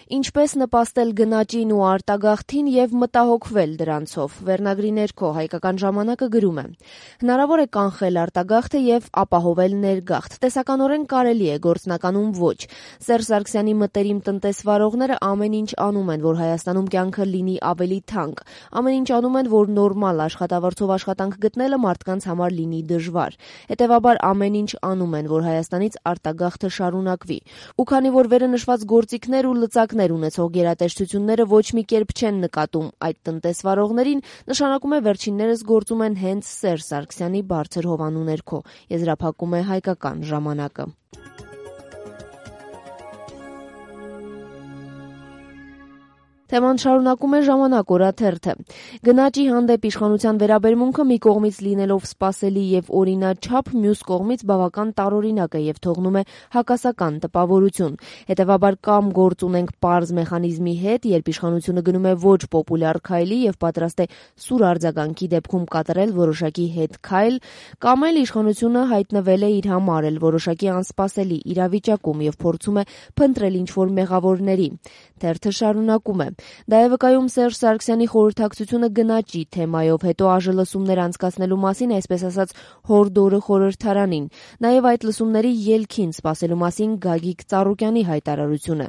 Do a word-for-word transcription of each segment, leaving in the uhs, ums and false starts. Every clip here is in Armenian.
Ինչպես նպաստել գնաճին ու արտագաղթին եւ մտահոգվել դրանցով։ Վերնագրի ներքո Հայկական ժամանակը գրում է. հնարավոր է կանխել արտագաղթը եւ ապահովել ներգաղթ։ Տեսականորեն կարելի է, գործնականում ոչ։ Սերժ Սարգսյանի մտերիմ տնտեսվարողները ամեն ինչ անում են, որ Հայաստանում կյանքը լինի ավելի թանկ։ Ամեն ինչ անում են, որ նորմալ աշխատավարձով աշխատանք գտնելը մարդկանց համար լինի դժվար։ Հետևաբար ամեն ինչ անում են, որ Հայաստանից արտագաղթը շարունակվի։ Ու քանի որ վերը նշված գործիքներ ու լծակներ ունեցող գերատեսչությունները ոչ մի կերպ չեն նկատում այդ տնտեսվարողներին, նշանակում է վերջիններս գործում են հենց Սերժ Սարգսյանի բարձր հովանու ներքո, եզրափակում է Հայկական ժամանակը։ Թեման շարունակում է Ժամանակ օրաթերթը։ Գնաճի հանդեպ իշխանության վերաբերմունքը մի կողմից լինելով սպասելի եւ օրինաչափ, մյուս կողմից բավական տարօրինակ է եւ թողնում է հակասական տպավորություն։ Հետևաբար կամ գործ ունենք պարզ մեխանիզմի հետ, երբ իշխանությունը գնում է ոչ պոպուլյար քայլի եւ պատրաստ է սուր արձագանքի դեպքում կատարել որոշակի հետ քայլ, կամ էլ իշխանությունը հայտնվել է իր համար էլ որոշակի անսպասելի իրավիճակում եւ փորձում է փնտրել ինչ-որ մեղավորների։ Թերթը շարունակում է. Դա է վկայում Սերժ Սարգսյանի խորհրդակցությունը գնաճի թեմայով, հետո ԱԺ լսումներ անցկացնելու մասին, այսպես ասած, հորդորը խորհրդարանին, նաև այդ լսումների ելքին սպասելու մասին Գագիկ Ծառուկյանի հայտարարությունը,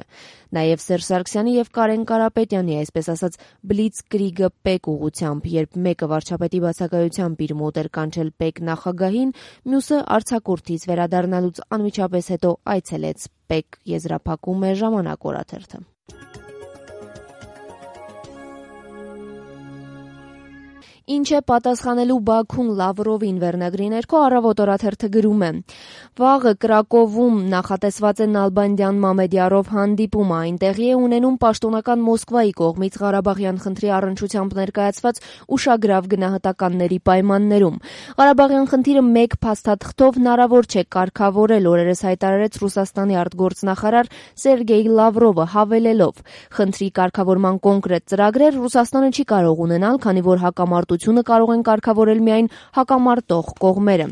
նաև Սերժ Սարգսյանի եւ Կարեն Կարապետյանի, այսպես ասած, բլիցկրիգը պեկ ուղղությամբ, երբ մեկը վարչապետի բացակայությամբ իր մոտ էր կանչել պեկ նախագահին, մյուսը արձակուրդից վերադառնալուց անմիջապես հետո այցելեց պեկ, եզրափակում է Ժամանակ օրաթերթը։ Ինչ է պատասխանելու Բաքուն Լավրովին, վերնագրի ներքո Առավոտ օրաթերթը գրում է. Վաղը Կրակովում նախատեսված է Նալբանդյան Մամեդյարով հանդիպումը, այնտեղի է ունենում պաշտոնական Մոսկվայի կողմից Ղարաբաղյան խնդրի առնչությամբ ներկայացված ուշագրավ գնահատականների պայմաններում։ Ղարաբաղյան խնդիրը մեկ փաստաթղթով հնարավոր չէ կարգավորել, օրերս հայտարարեց Ռուսաստանի արտգործնախարար Սերգեյ Լավրովը, հավելելով. խնդրի կարգավորման կոնկրետ ծրագրեր Ռուսաստանը չի կարող ունենալ, քանի որ հակամարտությունը կարող են կարգավորել միայն հակամարտող կողմերը։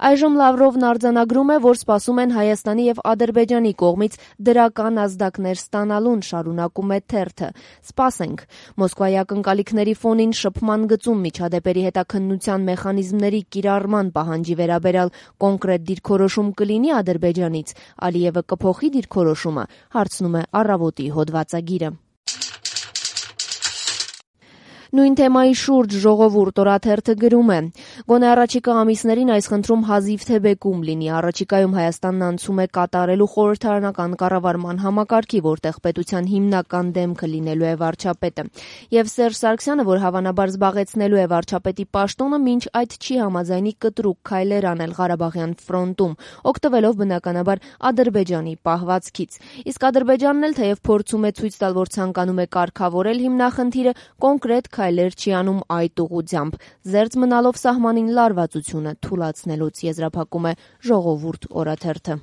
Այժմ Լավրովն արձանագրում է, որ սպասում են Հայաստանի եւ Ադրբեջանի կողմից դրական ազդակներ ստանալուն, շարունակում է թերթը։ Սպասենք։ Մոսկվայի ակնկալիքների ֆոնին շփման գծում միջադեպերի հետաքննության մեխանիզմների կիրառման պահանջի վերաբերյալ կոնկրետ դիրքորոշում կլինի Ադրբեջանից, Ալիևը կփոխի դիրքորոշումը, հարցնում է Առավոտի հոդվածագիրը։ Նույն թեմայի շուրջ Ժողովուրդ օրաթերթը գրում է. Գոնե առաջիկա ամիսներին այս խնդրում հազիվ թե բեկում լինի, առաջիկայում Հայաստանն անցում է կատարելու խորհրդարանական կառավարման համակարգի, որտեղ պետության հիմնական դեմքը լինելու է վարչապետը։ Եվ Սերժ Սարգսյանը, որ հավանաբար զբաղեցնելու է վարչապետի պաշտոնը, մինչ այդ չի համաձայնի կտրուկ քայլեր անել Ղարաբաղյան ֆրոնտում, օգտվելով բնականաբար Ադրբեջանի պահվածքից։ Իսկ Ադրբեջանն էլ թեև փորձում է ցույց տալ, որ ցանկանում է կարգավորել հիմնախնդիրը, կոնկրետ քայլեր չի անում այդ ուղղությամբ, զերծ մնալով սահմանին լարվածությունը թուլացնելուց, եզրափակում է Ժողովուրդ օրաթերթը։